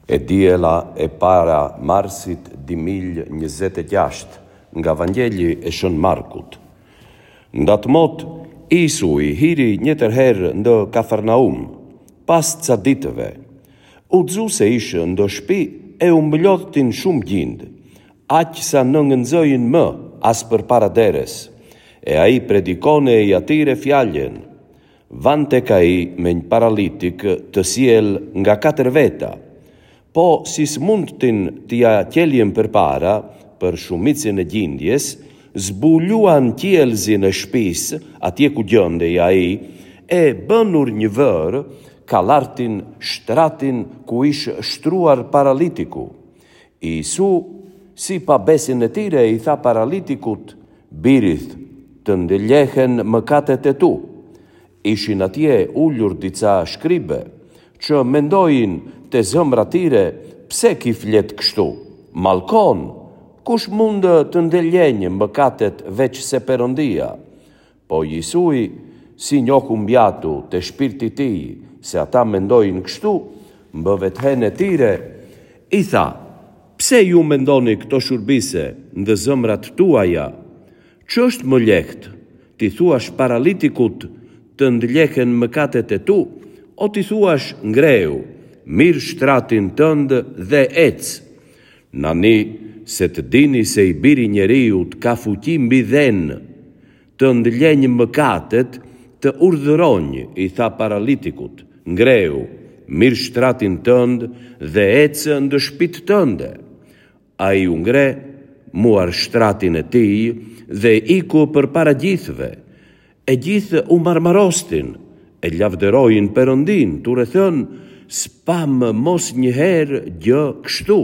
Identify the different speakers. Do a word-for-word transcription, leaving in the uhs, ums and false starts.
Speaker 1: E diela e para marsit dy mijë njëzet e gjashtë nga Vangjeli e Shën Markut. Ndatë mot, Isui hiri njëtër herë ndë Kafarnaum, pas ca ditëve. U dzu se ishë ndë shpi e u mblodhtin shumë gjind, aq sa nëngënxojin më as përpara deres, e ai predikone i atyre fjalën. Van tek ai me një paralitik të sjell nga katër veta, po si s'mundtin t'ia qeljen përpara për shumicën e gjindjes, zbuluan qiellzin e shtëpisë, atje ku gjendej ai, e bënur një vërë, kallartin shtratin ku ish shtruar paralitiku. Isu, si pa besin e tyre, i tha paralitikut, birith, të ndëljehen mëkatet e tu. Ishin atje ulur dica shkribe, që mendojnë te zëmra tyre, pse ki flet kështu? Malkon, kush mund të ndëljenjë mëkatet veç se Perëndia? Po Jisui, si njohu mbjatu te shpirti tij, se ata mendojnë kështu, mbë vethen e tyre, i tha, pse ju mendoni këto shurbise ndë zëmrat tuaja? Që është më lehtë, ti thuash paralitikut të ndëljehen mëkatet e tu, o ti thuash ngreu, mirë shtratin tënd dhe ec. Nani se të dini se i biri njeriut ka fuqi mbi dhenë, të ndëljenjë mëkatet, të urdhëronjë, i tha paralitikut, ngreu, mirë shtratin tënd dhe ec ndë shtëpitë tënde. Ai u ngre, muar shtratin e tij dhe iku përpara gjithëve. E gjithë u marmarostin, e lavdërojnë Perëndin, tu rrethën, s'pam mos një herë gjë kështu.